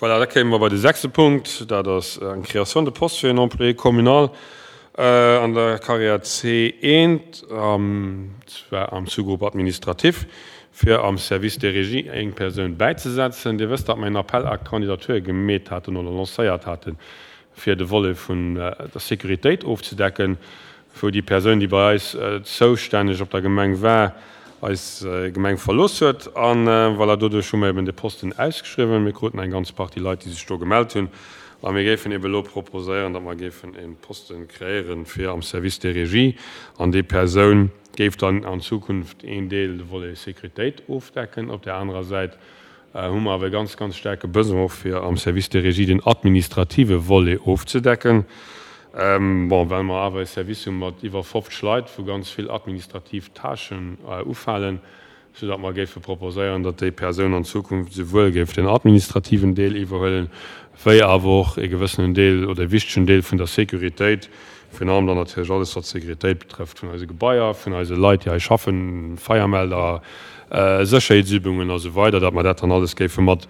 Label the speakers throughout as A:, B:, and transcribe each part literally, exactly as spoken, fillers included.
A: Voilà, da kéime mer bei de sechste Punkt, dat ass eng Création de poste fir en Employé communal an der Carrière C eent, zwar am Sous-groupe administratif, fir am Service des régies eng Persoun bäizesetzen. Dir wësst, datt mer en Appel à candidature gemeet haten oder lancéiert haten, fir de Volet vun der Sécuritéit ofzedecken, wou déi Persoun, déi bei eis zoustänneg op der Gemeng war, eis Gemeng verlooss huet. A voilà, doduerch hu mer eben de Posten ausgeschriwwen. Mir kruten eng ganz Partie Leit, déi sech do gemellt hunn. A mir géifen eben elo proposéieren, datt mer géifen e Posten kreéieren fir am Service des régies. An déi Persoun géif dann an Zukunft een Deel, de Volet Sécuritéit, ofdecken. Op där anerer Säit hu mer awer e ganz, ganz staarke Besoin och fir am Service des régies den administrative Volet ofzedecken. Bon, well mer awer e Service hu mat iwwer fofzeg Leit, wou ganz vill administrativ Tâchen ufalen, soudatt mer géife proposéieren, datt déi Persoun an Zukunft esouwuel géif den administrativen Deel iwwerhuelen, wéi awer och e gewëssenen Deel oder e wichtegen Deel vun der Sécuritéit, virun allem dann natierlech alles, wat d'Sécuritéit betrëfft vun eise Gebaier, vun eise Leit, déi hei schaffen, Feiermelder, Sécherheetsübungen a sou weider, datt mer dat dann alles géife mat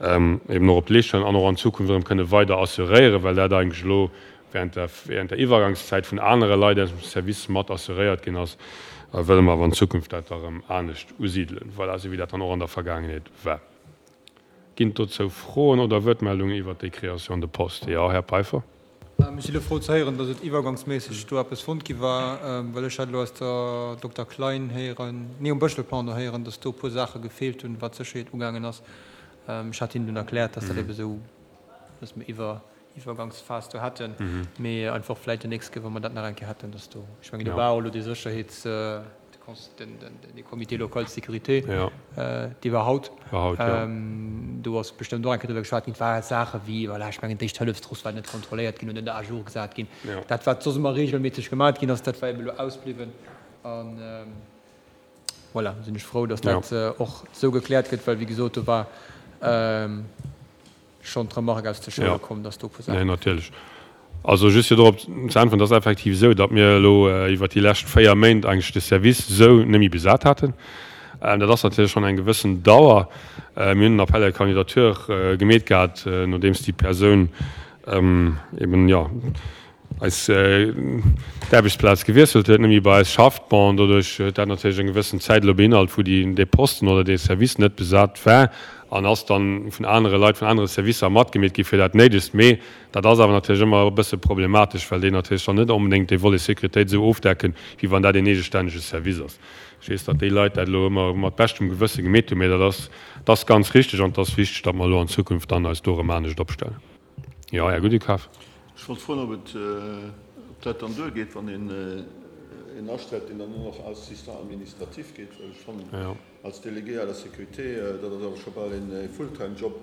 A: eben och op d'Leescht huelen an och an Zukunft erëm kënne weider assuréieren, well dat eigentlech elo während der, während der Iwwergangszäit vun anere Leit aus dem Service mat assuréiert ginn ass, wëlle mer awer an Zukunft dat da erëm anescht usidelen, voilà, esou wéi dat dann och an der Vergaangenheet war. Ginn et dozou Froen oder Wuertmeldungen iwwert déi Création de poste? Jo, Här Peiffer.
B: Ech si elo frou ze héieren, datt et iwwergangsméisseg do eppes fonnt gi war, well ech hat elo aus der Dokter Klein héieren, nee um Bëschel, pardon, héieren, datt do e puer Saache gefeelt hunn, wat d'Sécherheet ugaangen ass. Ech hat hinnen dunn erkläert, datt dat ebe sou, datt mir iwwer Iwwergangsphas do hätten, mee einfach vläicht den nächste Kéier, wa mer dat nach eng Kéier hätten, dass do, ech mengen, do war och elo dee Sécherheets-, den, dee Comité local de sécurité, dee war haut, do ass bestëmmt och eng Kéier driwwer geschwat ginn. Et ware Saache wéi, voilà, ech mengen, d'Éischt-Hëllefstross war net kontrolléiert ginn oder net à jour gesat ginn. Dat, wat soss ëmmer regelméisseg gemat ginn ass, dat war eben elo ausbliwwen. An voilà, sinn ech frou, dass dat och esou gekläert gëtt, well, wéi gesot, do war schonn d'Remarque aus de Schoule komm, dass do e puer
A: Saachen. Nee, natierlech. Also just fir dorop ze äntweren, et ass effektiv esou, datt mir elo iwwert déi lescht véier Méint eigentlech de Service esou net méi besat haten. Dat ass natierlech schonn eng gewëssen Dauer. Mir hunn en Appel à candidature gemeet gehat, nodeems déi Persoun eben, jo, eis d'Aarbechtsplaz gewiesselt huet, net méi bei eis schafft. Bon, doduerch huet dat natierlech eng gewëssen Zäit elo beinhalt, wou déi, dee Posten oder dee Service net besat war an ass dann vun anere Leit, vun anere Servicer matgemeet gi fir dat Néidegst. Mee dat ass awer natierlech ëmmer e bësse problematesch, well déi natierlech dann net onbedéngt dee Volet Sécuritéit esou ofdecken, wéi wann dat een eegestännege Service ass. Ech weess, datt déi Leit dat elo ëmmer mat beschtem Gewësse gemeet hunn, mee dat ass, dat ass ganz richteg an et ass wichteg, datt mer elo an Zukunft dann eis do erëm anescht opstellen. Jo, Här Goudekaf.
C: Ech wollt froen, ob et, ob dat dann duergeet, wann een een astellt, deen dann och nach Assistant administratif gétt, well ech fannen, als Délégué à la sécurité, dat ass awer scho bal e Fulltime-Job,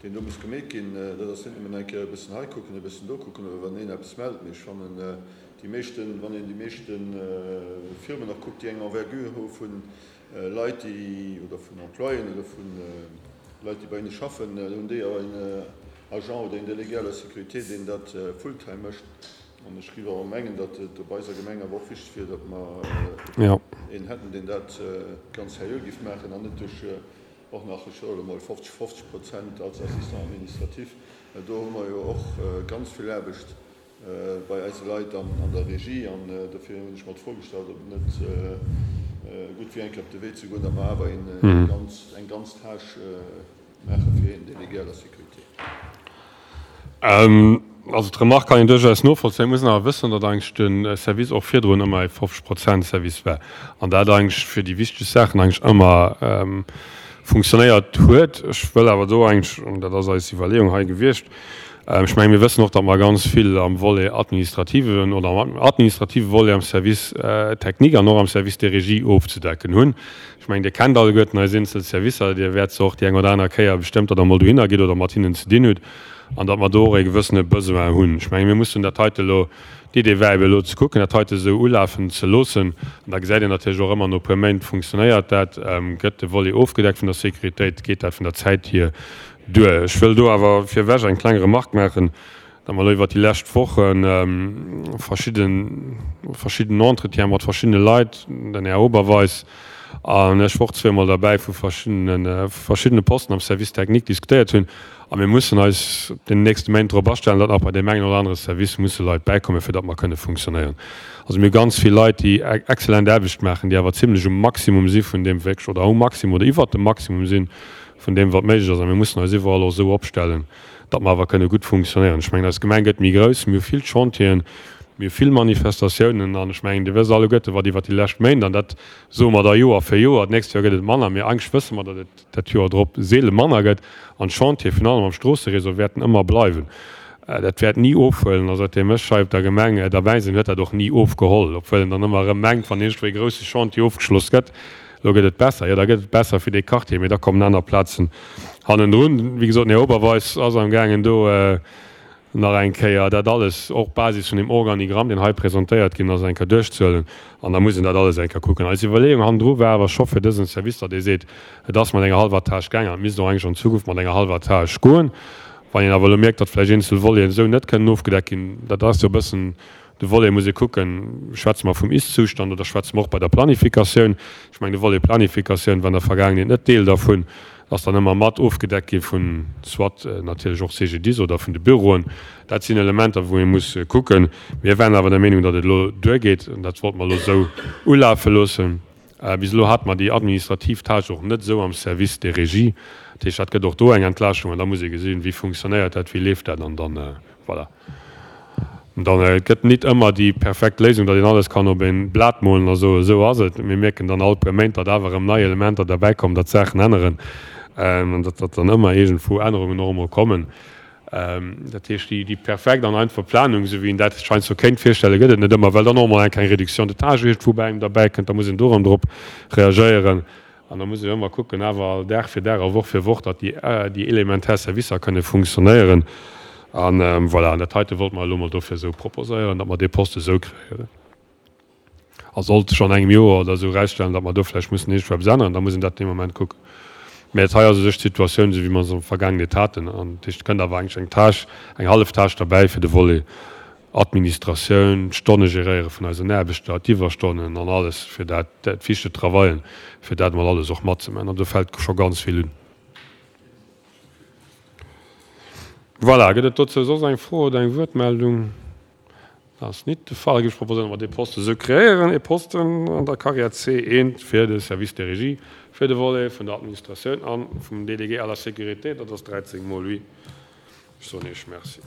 C: deen do muss gemeet ginn. Dat ass net nëmmen eng Kéier e bëssen hei kucken, e bëssen do kucken oder wann een eppes mellt. Mee ech fannen, déi meeschten, wann een déi meeschte Firmen och kuckt, déi eng Envergure hu vu Leit, déi, oder vun Employéen oder vu Leit, déi bei hinne schaffen, hunn déi awer en Agent oder een Délégué à la sécurité, deen dat fulltime mécht. An ech géif awer mengen, datt et op eiser Gemeng awer och wichteg wier, datt mer een hätten, deen dat ganz seriö géif maachen an net duerch och nach, ech soe elo mol, fofzeg, fofzeg Prozent als Assistant administratif. Well do hu mer jo och ganz vill Aarbecht bei eise Leit an der Regie. An dofir hunn ech mer d'Fro gestallt, ob et net gutt wier, eng Kéier op de Wee ze goen, datt mer awer eng ganz Tâche maache fir een Délégué à la sécurité.
A: Also d'Remarque kann een duerchaus novollzéien. Et muss een awer wëssen, datt eigentlech de Service och virdrun ëmmer e fofzeg Prozent Service war an dat eigentlech fir déi wichteg Saachen eigentlech ëmmer funktionéiert huet. Ech wëll awer do eigentlech, an dat ass eis Iwwerleeung hei gewiescht, ech mengen, mir wëssen och, datt mer ganz vill am Volet administrativen oder am administrative Volet am Service technique an och am Service de régie ofzedecken hunn. Ech mengen, Dir kennt alleguerten eis eenzel Servicer, Dir wäert se och déi eng oder aner Kéier bestëmmt, datt Der emol dohinner gitt oder mat hinnen ze dinn hutt, an datt mer do och e gewëssene Besoin hunn. Ech mengen, mir mussen dat heite elo, d'Idee war eben elo ze kucken, dat heite esou ulafen ze loossen, an da gesäit een natierlech och ëmmer no e puer Méint, funktionéiert dat, gëtt de Volet ofgedeckt vun der Sécuritéit, geet dat vun der Zäit hier duer. Ech wëll do awer virwech eng kleng Remarque maachen, datt mer elo iwwert déi lescht Woche verschidden, verschidden Entretiene mat verschiddene Leit, den Här Oberweis, An ech wor zweemol derbäi, wou verschiddene, verschiddene Posten am Service technique diskutéiert hunn. A mir mussen eis den nächste Méint drop astellen, datt nach bei deem engen oder anere Service musse Leit bäikommen, fir datt mer kënne funktionéieren. Also mir hu ganz vill Leit, déi exzellent Aarbecht maachen, déi awer zimlech um Maximum si vun deem wierklech, oder um Maximum oder iwwert dem Maximum si vun deem, wat méiglech ass. A mir mussen eis iwwerall och esou opstellen, datt mer awer kënne gutt funktionéieren. Ech mengen, eis Gemeng gëtt méi grouss, mir hu vill Chantieren, mir hu vill Manifestatiounen an ech mengen, Dir wësst alleguerte wat iwwert déi lescht Méint, an dat soe mer da Joer fir Joer, d'nächst Joer gëtt et manner, mee eigentlech wësse mer, datt et dat Joer drop seele manner gëtt an d'Chantiere virun allem am Stroosseréseau wäerten ëmmer bleiwen. Dat wäert ni ofhuelen a säitdeem ech hei op der Gemeng derbäi sinn, huet dat och ni ofgeholl, obwuel een dann ëmmer erëm mengt, wann iergendwou ee grousse Chantier ofgeschloss gëtt, elo gëtt et besser. Jo, da gëtt et besser fir dee Quartier, mee da kommen aner Plazen hannendrun. Wéi gesot, den Här Oberweis ass amgaangen do nach eng Kéier dat alles, och Basis vun deem Organigramm, deen hei presentéiert ginn ass, eng Kéier duerchzehuelen an da muss een dat alles eng Kéier kucken. Eis Iwwerleeung hannendru war awer scho fir dësen Service, datt ee seet, et ass mat enger hallwer Tâche gaangen an et misst och eigentlech an Zukunft mat enger hallwer Tâche goen. Wann een awer elo mierkt, datt vläicht eenzel Voleten esou net kënnen ofgedeckt ginn, dat ass jo e bëssen de Volet, muss ee kucken, schwätze mer vum Ist-Zustand oder schwätze mer och bei der Planifikatioun? Ech mengen, de Volet Planifikatioun war an der Vergaangenheet net Deel dervun, ass dann ëmmer mat ofgedeckt gi vun soit natierlech och C G D I S oder vun de Büroen. Dat sinn Elementer, wou ee muss kucken. Mir waren awer der Meenung, datt et elo duergeet, an dat wollte mer elo esou ulafe loossen. Bis elo hate mer déi administrativ Tâche och net esou am Service des régies. Dat heescht, dat gëtt och do eng Entlaaschtung an da muss ee gesinn, wéi funktionéiert dat, wéi leeft dat an dann, voilà. Dann et gëtt nit ëmmer déi perfekt Léisung, datt een alles kann op een Blat molen a soen, esou ass et. Mir mierken dann all puer Méint, datt awer erëm nei Elementer derbäikommen, datt Saachen änneren an datt datt dann ëmmer iergendwou Ännerungen och emol kommen. Dat heescht, déi perfekt an einfach Planung, esou wéi een dat sech heiansdo kéint virstellen, gëtt et net ëmmer, well dann och emol eng kleng Réduction de tâches iergendwou bei engem derbäikënnt. Da muss een do erëm drop reagéieren. An da muss een ëmmer kucken, awer Dag fir Dag a Woch fir Woch, datt déi, déi elementär Servicer kënne funktionéieren. An voilà, an dat heite wollte mer elo emol dofir esou proposéieren, datt mer dee Poste esou kreéieren. A sollt sech an engem Joer oder esou erausstellen, datt mer do vläicht mussen iergendwou eppes änneren, da muss een dat dee Moment kucken. Mä et hei ass u sech d'Situatioun, esou wéi mer se am Vergaangenheet haten. An dat heescht, et kënnt awer eigentlech eng Tâche, eng hallef Tâche derbäi fir de Volet Administratioun, d'Stonne geréiere vun eisen Aarbechter, d'Iwwerstonnen an alles, fir dat, d'Fiche de travaillen, fir dat emol alles och matzemaachen. An do fält scho ganz vill un. Voilà, gëtt et dozou soss eng Fro oder eng Wuertmeldung? Dat ass nit de Fall. Géif ech proposéieren, datt mer dee Poste esou kreéieren, ee Posten an der Carrière C eent fir de Service de régie, fir de Volet vun der Administratioun a vum Délégué à la sécurité, dat ass dräizéng mol huit. Ech soen Iech Merci.